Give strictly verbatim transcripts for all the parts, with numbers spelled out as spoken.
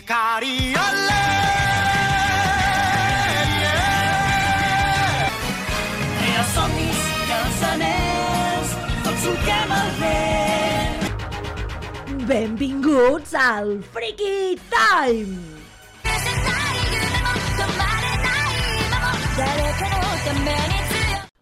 Cari, olé! I els somnis i els anells, tots solquem el vent. Benvinguts al Freaky Time!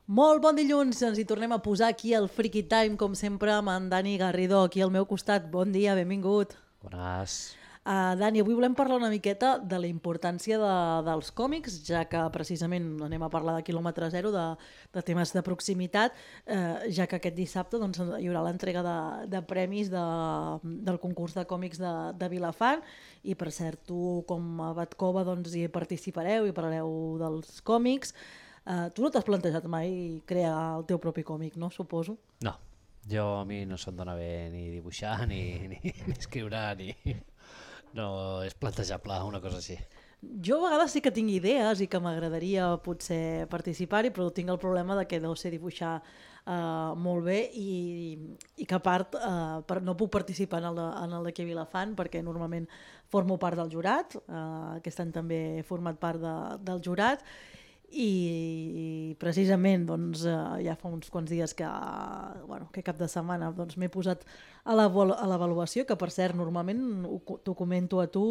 Molt bon dilluns, ens hi tornem a posar aquí al Freaky Time, com sempre, amb en Dani Garrido, aquí al meu costat. Bon dia, benvingut. Bones. Uh, Dani, avui volem parlar una miqueta de la importància de, dels còmics, ja que precisament anem a parlar de quilòmetre zero, de, de temes de proximitat, uh, ja que aquest dissabte doncs, hi haurà l'entrega de, de premis de, del concurs de còmics de, de Vilafant, i per cert, tu com a Batcova doncs, hi participareu i parlareu dels còmics. Uh, tu no t'has plantejat mai crear el teu propi còmic, no? Suposo. No, jo a mi no se'm dona bé ni dibuixar, ni, ni, ni escriure, ni... No és plantejable una cosa així. Jo a vegades sí que tinc idees i que m'agradaria potser participar-hi, però tinc el problema de que deu ser dibuixar uh, molt bé i, i que a part uh, per, no puc participar en el, de, en el d'aquí a Vilafant perquè normalment formo part del jurat, uh, aquest any també he format part de, del jurat, i precisament doncs, ja fa uns quants dies que, bueno, que cap de setmana doncs, m'he posat a l'avaluació, que per cert normalment t'ho comento a tu,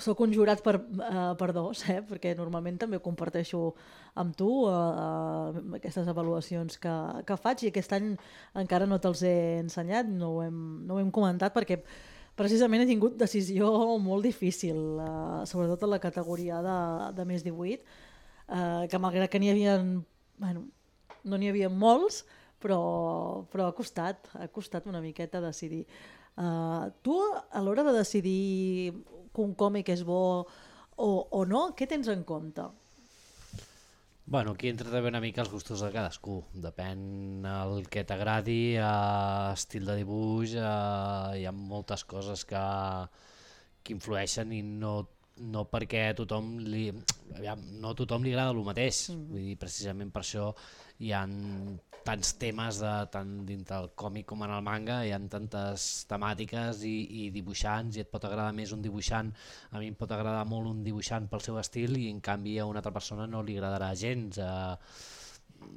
soc un jurat per, uh, per dos, eh? Perquè normalment també ho comparteixo amb tu, uh, aquestes avaluacions que, que faig, i aquest any encara no te'ls he ensenyat, no ho hem, no ho hem comentat perquè precisament he tingut decisió molt difícil, uh, sobretot en la categoria de, de més divuit, Uh, que malgrat que n'hi havia, bueno, no n'hi havia molts, però, però ha costat, ha costat una miqueta decidir. Uh, tu, a l'hora de decidir que un còmic és bo o, o no, què tens en compte? Bueno, aquí entra també una mica els gustos de cadascú. Depèn el que t'agradi, uh, estil de dibuix, uh, hi ha moltes coses que, que influeixen i no no perquè a tothom li, aviam, no a tothom li agrada el mateix, mm. Vull dir, precisament per això hi ha tants temes de, tant dintre del còmic com en el manga, hi ha tantes temàtiques i, i dibuixants, i et pot agradar més un dibuixant, a mi em pot agradar molt un dibuixant pel seu estil i en canvi a una altra persona no li agradarà gens, eh,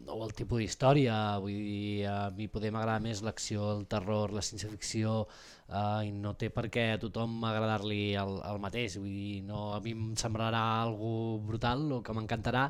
o el tipus d'història, vull dir, a mi poder m'agradar més l'acció, el terror, la ciència-ficció, uh, i no té per què a tothom agradar-li el, el mateix, vull dir, no, a mi em semblarà algo brutal o que m'encantarà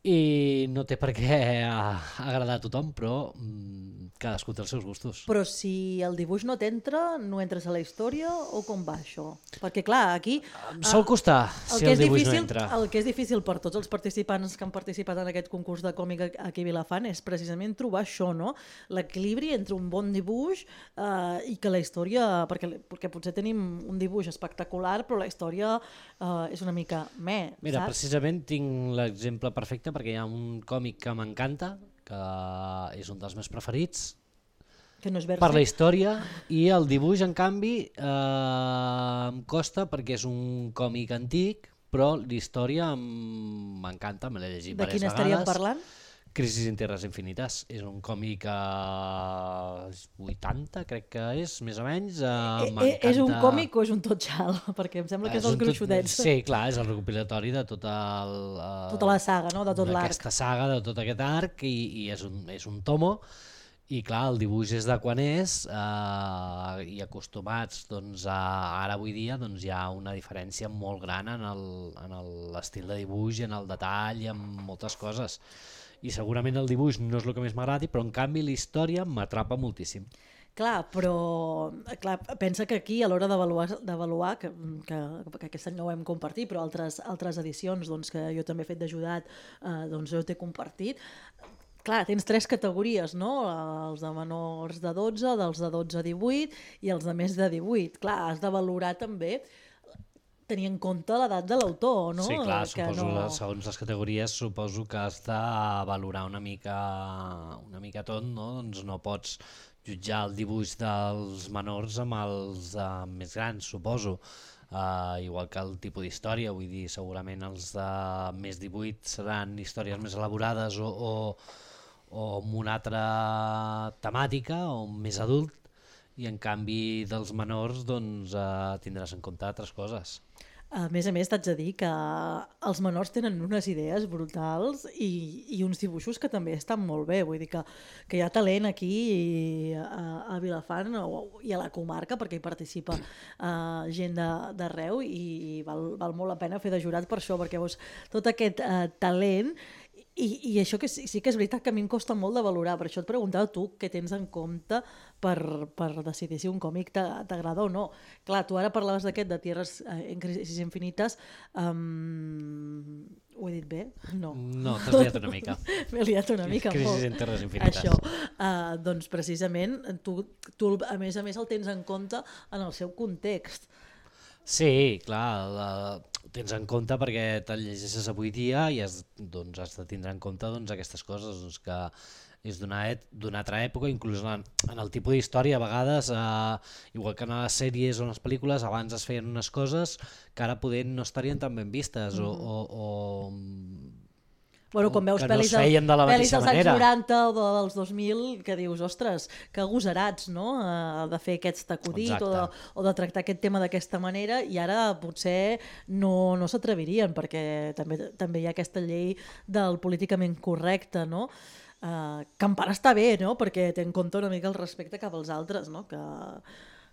i no té per què agradar a tothom, però mm, cadascú té els seus gustos. Però si el dibuix no t'entra, no entres a la història o com va això? Perquè clar, aquí... Em sol costar si el, el dibuix difícil, no entra. El que és difícil per tots els participants que han participat en aquest concurs de còmic aquí a Vilafant és precisament trobar això, no? L'equilibri entre un bon dibuix eh, i que la història... Perquè, perquè potser tenim un dibuix espectacular, però la història eh, és una mica meh, Mira, saps? precisament tinc l'exemple perfecte perquè hi ha un còmic que m'encanta, que és un dels meus preferits, que no és per la història, i el dibuix, en canvi, eh, em costa perquè és un còmic antic, però l'història m'encanta, me l'he llegit de diverses quin vegades. estaríem parlant? Crisis en Tierras Infinites, és un còmic a vuitanta, crec que és, més o menys. Uh, eh, és un còmic o és un totxal? Perquè em sembla que és, és dels gruixudets. Tot... Sí, clar, és el recopilatori de tot el... Uh, tota la saga, no? De tot l'arc. Aquesta saga, de tot aquest arc, i, i és, un, és un tomo, i clar, el dibuix és de quan és, uh, i acostumats doncs, a, ara avui dia doncs, hi ha una diferència molt gran en l'estil de dibuix, en el detall, i en moltes coses. I segurament el dibuix no és el que més m'agradi, però en canvi la història m'atrapa moltíssim. Clar, però clar, pensa que aquí a l'hora d'avaluar, que, que, que aquest any no ho hem compartit, però altres, altres edicions doncs, que jo també he fet d'ajudat, eh, doncs jo t'he compartit, clar, tens tres categories, no? Els de menors de dotze, dels de dotze a divuit i els de més de divuit. Clar, has de valorar també tenir en compte l'edat de l'autor, no? Sí, clar, que suposo, no... segons les categories, suposo que has de valorar una mica, una mica tot, no? Doncs no pots jutjar el dibuix dels menors amb els uh, més grans, suposo. Uh, igual que el tipus d'història, vull dir, segurament els de més divuit seran històries més elaborades o, o, o amb una altra temàtica o més adult, i en canvi dels menors doncs, eh, tindràs en compte altres coses. A més a més, t'haig de dir que els menors tenen unes idees brutals i, i uns dibuixos que també estan molt bé. Vull dir que, que hi ha talent aquí i a, a Vilafant o, i a la comarca, perquè hi participa uh, gent d'arreu i val, val molt la pena fer de jurat per això, perquè veus tot aquest uh, talent. I, i això que sí, sí que és veritat que a mi em costa molt de valorar, per això et preguntava tu què tens en compte per, per decidir si un còmic t'agrada o no. Clar, tu ara parlaves d'aquest de Tierres en Crisis Infinites, um, ho he dit bé? No. No, t'has liat una mica. M'he liat una mica. Crisis molt. en Terres Infinites. Això, uh, doncs precisament, tu, tu a més a més el tens en compte en el seu context. Sí, clar, la, tens en compte perquè te'l llegeixes avui dia i has, doncs, has de tindre en compte doncs, aquestes coses, doncs, que és d'una altra època, inclús en, en el tipus d'història, a vegades, eh, igual que en les sèries o en les pel·lícules, abans es feien unes coses que ara poder no estarien tan ben vistes, mm-hmm. o... o, o Bueno, quan veus pel·lis, no es de pel·lis dels anys noranta o de, dels dos mil, que dius, ostres, que agosarats, no?, uh, de fer aquest acudit o de, o de tractar aquest tema d'aquesta manera, i ara potser no, no s'atrevirien, perquè també, també hi ha aquesta llei del políticament correcte, no?, uh, que en part està bé, no?, perquè té en compte una mica el respecte cap als altres, no?, que...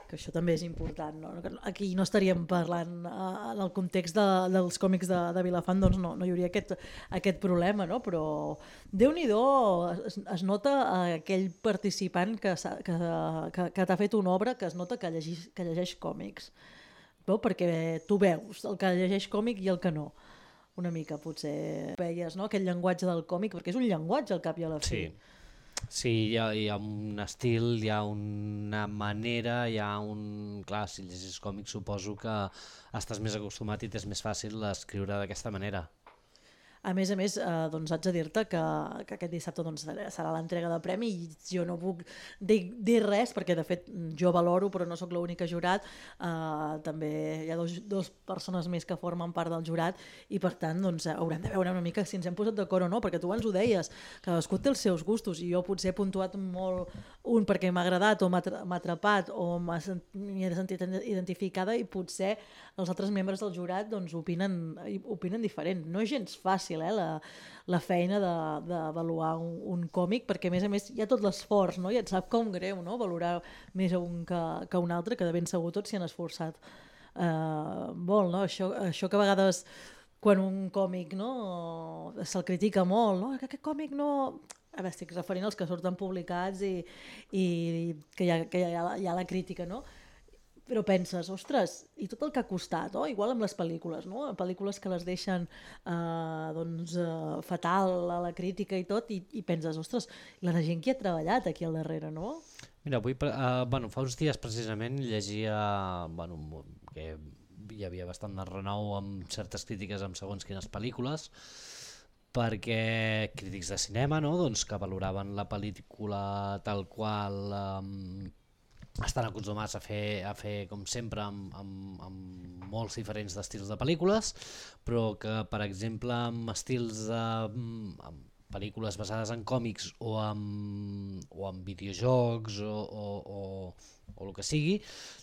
que això també és important, no? Aquí no estaríem parlant uh, en el context de, dels còmics de, de Vilafant, doncs no, no hi hauria aquest, aquest problema, no? Però Déu-n'hi-do, es, es nota aquell participant que, que, que, que t'ha fet una obra que es nota que llegeix, que llegeix còmics, no? Perquè tu veus el que llegeix còmic i el que no, una mica potser veies, no? Aquest llenguatge del còmic, perquè és un llenguatge al cap i a la fi. Sí. Sí, hi ha, hi ha un estil, hi ha una manera, hi ha un... Clar, si llegis còmics suposo que estàs més acostumat i t'és més fàcil escriure d'aquesta manera. A més a més, eh, doncs haig de dir-te que, que aquest dissabte doncs, serà l'entrega de premi i jo no puc dir, dir res perquè de fet jo valoro però no sóc l'única jurat, eh, també hi ha dos, dos persones més que formen part del jurat i per tant doncs, haurem de veure una mica si ens hem posat d'acord o no, perquè tu abans ho deies, cadascú té els seus gustos i jo potser he puntuat molt un perquè m'ha agradat o m'ha atrapat o m'he sentit identificada i potser els altres membres del jurat doncs, opinen, opinen diferent. No és gens fàcil eh, la, la feina d'avaluar de, un, un còmic, perquè a més a més hi ha tot l'esforç, no? I et sap com greu, no? Valorar més un que, que un altre, que de ben segur tots s'hi han esforçat uh, molt, no? Això, això que a vegades quan un còmic no, se'l critica molt, no? Que aquest còmic no... A veure, estic referint als que surten publicats i, i que, hi ha, que hi ha, hi ha la crítica, no? Però penses, ostres, i tot el que ha costat, oh? Igual amb les pel·lícules, no? Pel·lícules que les deixen eh, doncs, eh, fatal a la crítica i tot, i, i penses, ostres, la gent que ha treballat aquí al darrere, no? Mira, avui, uh, bueno, fa uns dies precisament llegia bueno, que hi havia bastant de renou amb certes crítiques amb segons quines pel·lícules, perquè crítics de cinema, no? Doncs, que valoraven la pel·lícula tal qual... Um, estan acostumats a fer, a fer com sempre amb, amb, amb molts diferents estils de pel·lícules, però que per exemple amb estils de amb pel·lícules basades en còmics o en, o en videojocs o, o, o, o el que sigui,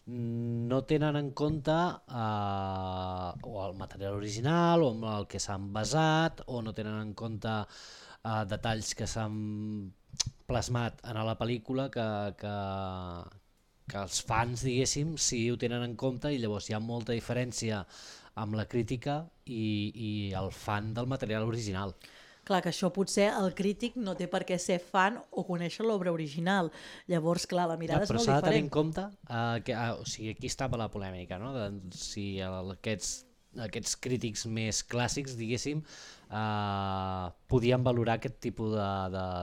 no tenen en compte eh, o el material original o amb el que s'han basat, o no tenen en compte eh, detalls que s'han plasmat en la pel·lícula que, que, que els fans, diguéssim, sí ho tenen en compte, i llavors hi ha molta diferència amb la crítica i, i el fan del material original. Clar, que això potser el crític no té per què ser fan o conèixer l'obra original. Llavors, clar, la mirada ja, és molt diferent. Però s'ha de tenir en compte, uh, que, uh, o sigui, aquí estava la polèmica, no? De, si el, aquests, aquests crítics més clàssics, diguéssim, uh, podien valorar aquest tipus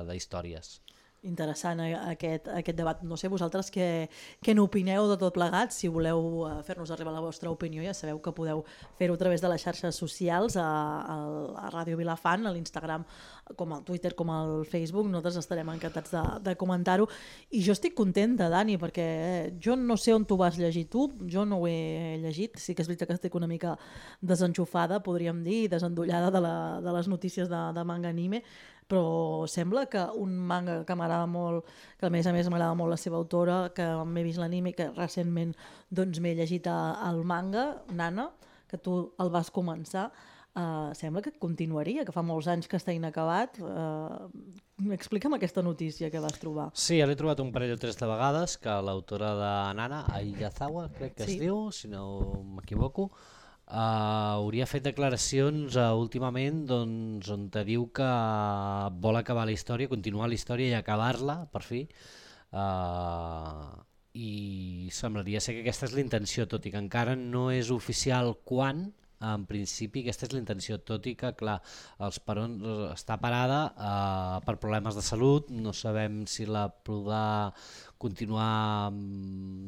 d'històries. Interessant aquest, aquest debat. No sé vosaltres què, què n'opineu de tot plegat. Si voleu fer-nos arribar la vostra opinió, ja sabeu que podeu fer-ho a través de les xarxes socials, a, a, a Ràdio Vilafant, a l'Instagram, com al Twitter, com al Facebook. Nosaltres estarem encantats de, de comentar-ho. I jo estic contenta, Dani, perquè jo no sé on tu vas llegir tu, jo no ho he llegit. Sí que és veritat que estic una mica desenxufada, podríem dir, desendollada de, la, de les notícies de, de manga anime. però sembla que un manga que m'agrada molt, que a més a més m'agrada molt la seva autora, que m'he vist l'anime, que recentment doncs, m'he llegit el manga, Nana, que tu el vas començar, uh, sembla que continuaria, que fa molts anys que està inacabat. Uh, explica'm aquesta notícia que vas trobar. Sí, ja l'he trobat un parell o tres de vegades, que l'autora de Nana, Ayazawa, crec que sí. es diu, si no m'equivoco, Uh, hauria fet declaracions uh, últimament doncs, on te diu que vol acabar la història, continuar la història i acabar-la, per fi. Uh, I semblaria ser que aquesta és la intenció, tot i que encara no és oficial quan. En principi aquesta és la intenció, tot i que clar, els peron, està parada uh, per problemes de salut, no sabem si la podrà continuar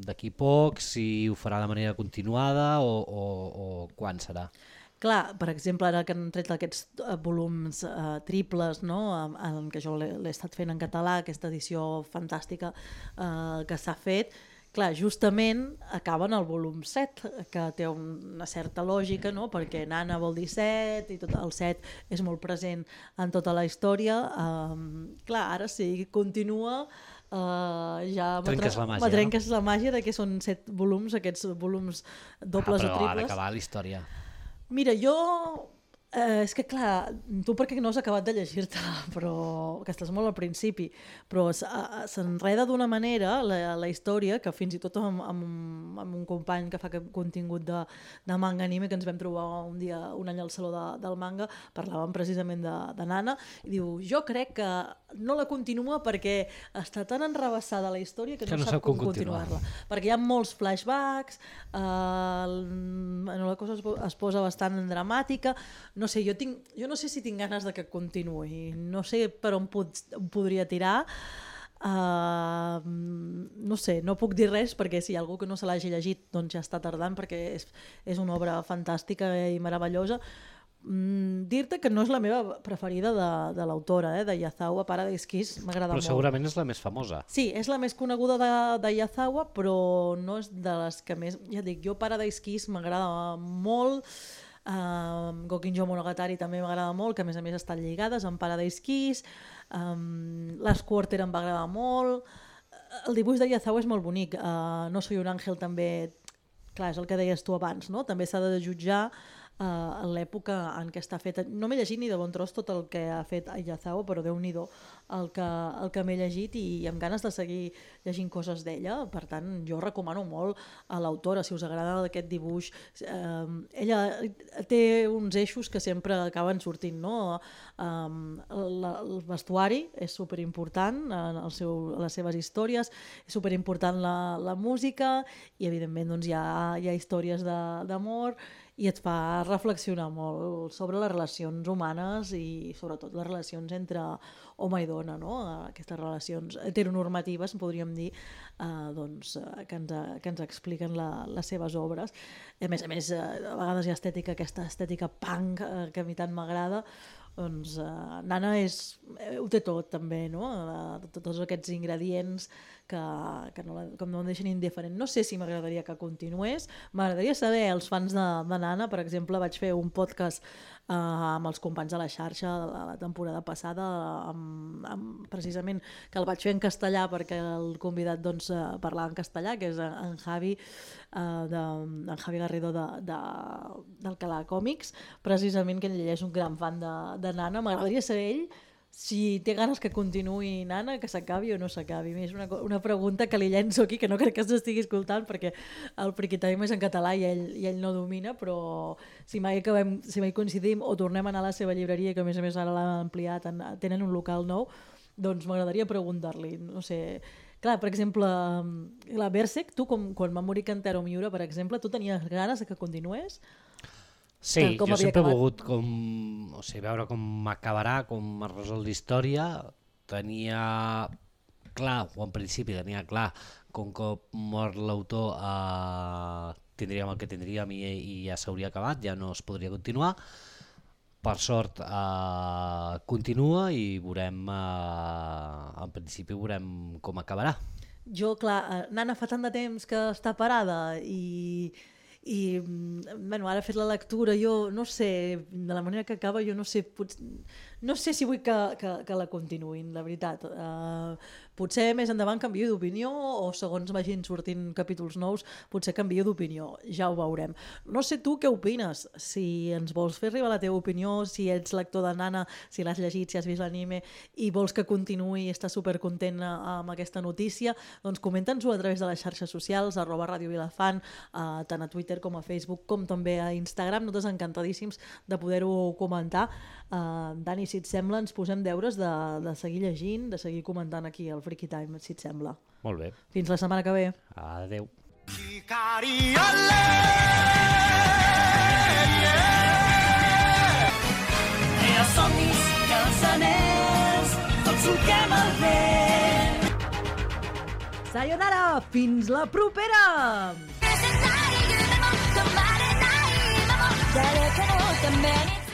d'aquí poc, si ho farà de manera continuada o, o, o quan serà. Clar, per exemple, ara que han tret aquests volums uh, triples, no? en, en què jo l'he estat fent en català, aquesta edició fantàstica uh, que s'ha fet, clar, justament acaben el volum set, que té una certa lògica, no? Perquè Nana vol dir set i tot el set és molt present en tota la història. Um, clar, ara sí, continua, uh, ja trenques la màgia, trenques no? la màgia de que són set volums, aquests volums dobles ah, o triples. Però ha d'acabar la història. Mira, jo... Eh, és que clar, tu perquè no has acabat de llegir-te-la, però que estàs molt al principi, però s'enreda d'una manera la, la història que fins i tot amb, amb, amb un company que fa contingut de, de manga anime, que ens vam trobar un dia, un any al Saló de, del Manga, parlàvem precisament de, de Nana, i diu, jo crec que no la continua perquè està tan enrebaçada la història que, que no, no sap com continuar-la. Continuar perquè hi ha molts flashbacks, eh, la cosa es, es posa bastant dramàtica, no sé, jo, tinc, jo no sé si tinc ganes de que continuï, no sé per on, pod, on podria tirar, uh, no sé, no puc dir res perquè si hi ha algú que no se l'hagi llegit doncs ja està tardant perquè és, és una obra fantàstica i meravellosa. Mm, dir-te que no és la meva preferida de, de l'autora, eh, de Yazawa, Paradise Kiss, m'agrada molt. Però segurament és la més famosa. Sí, és la més coneguda de, de Yazawa, però no és de les que més... Ja dic, jo Paradise Kiss m'agrada molt, um, Gokinjo Monogatari també m'agrada molt, que a més a més estan lligades amb Paradise Kiss, um, Last Quarter em va agradar molt, el dibuix de Yazawa és molt bonic, uh, No soy un àngel també, clar, és el que deies tu abans, no? També s'ha de jutjar Uh, en l'època en què està feta. No m'he llegit ni de bon tros tot el que ha fet Ayazawa, però Déu-n'hi-do el que, el que m'he llegit i amb ganes de seguir llegint coses d'ella. Per tant, jo recomano molt a l'autora, si us agrada aquest dibuix. Uh, ella té uns eixos que sempre acaben sortint, no? Um, la, el vestuari és superimportant en el seu, les seves històries, és superimportant la, la música i evidentment doncs, hi, ha, hi ha històries d'amor i et fa reflexionar molt sobre les relacions humanes i sobretot les relacions entre home i dona, no? Aquestes relacions heteronormatives, podríem dir, eh, doncs, que, ens, que ens expliquen la, les seves obres. A més a més, a vegades hi ha estètica, aquesta estètica punk eh, que a mi tant m'agrada. Doncs uh, Nana és, eh, ho té tot també, no? Uh, tots aquests ingredients que, que no, la, com no em deixen indiferent. No sé si m'agradaria que continués, m'agradaria saber, els fans de, de Nana, per exemple, vaig fer un podcast uh, amb els companys de la xarxa de la, la temporada passada, amb, amb, precisament que el vaig fer en castellà perquè el convidat doncs, uh, parlava en castellà, que és en Javi, uh, de, en Javi Garrido de, de, d'Alcalà Còmics, precisament que ell és un gran fan de, de Nana. M'agradaria saber ell si té ganes que continuï Nana, que s'acabi o no s'acabi. És una, una pregunta que li llenço aquí, que no crec que s'estigui escoltant perquè el Friki Time és en català i ell, i ell no domina, però si mai, acabem, si mai coincidim o tornem a anar a la seva llibreria, que a més a més ara l'han ampliat, en, tenen un local nou, doncs m'agradaria preguntar-li, no sé... Clar, per exemple, la Berserk, tu com, quan va morir Kentaro Miura, per exemple, tu tenies ganes que continués? Sí, jo sempre acabat. he volgut com, o sigui, veure com acabarà, com es resol la història. Tenia clar, o en principi tenia clar, com que mort l'autor eh, tindríem el que tindríem i, i ja s'hauria acabat, ja no es podria continuar. Per sort eh, continua i veurem, eh, en principi veurem com acabarà. Jo, clar, Nana fa tant de temps que està parada i... i bueno, ara he fet la lectura, jo no sé, de la manera que acaba, jo no sé, potser, no sé si vull que, que, que la continuïn, la veritat. Uh, potser més endavant canvio d'opinió o segons vagin sortint capítols nous potser canvio d'opinió, ja ho veurem. No sé tu què opines, si ens vols fer arribar la teva opinió, si ets lector de Nana, si l'has llegit, si has vist l'anime i vols que continuï i estàs supercontent amb aquesta notícia, doncs comenta'ns-ho a través de les xarxes socials, arroba Ràdio Vilafant, uh, tant a Twitter com a Facebook, com també a Instagram. Nosaltres encantadíssims de poder-ho comentar. Uh, Dani, si et sembla, ens posem deures de, de seguir llegint, de seguir comentant aquí al Freaky Time, si et sembla. Molt bé. Fins la setmana que ve. Adeu. Crea somnis i els anells, tots solquem el vent. Sayonara! Fins la propera! 誰かのために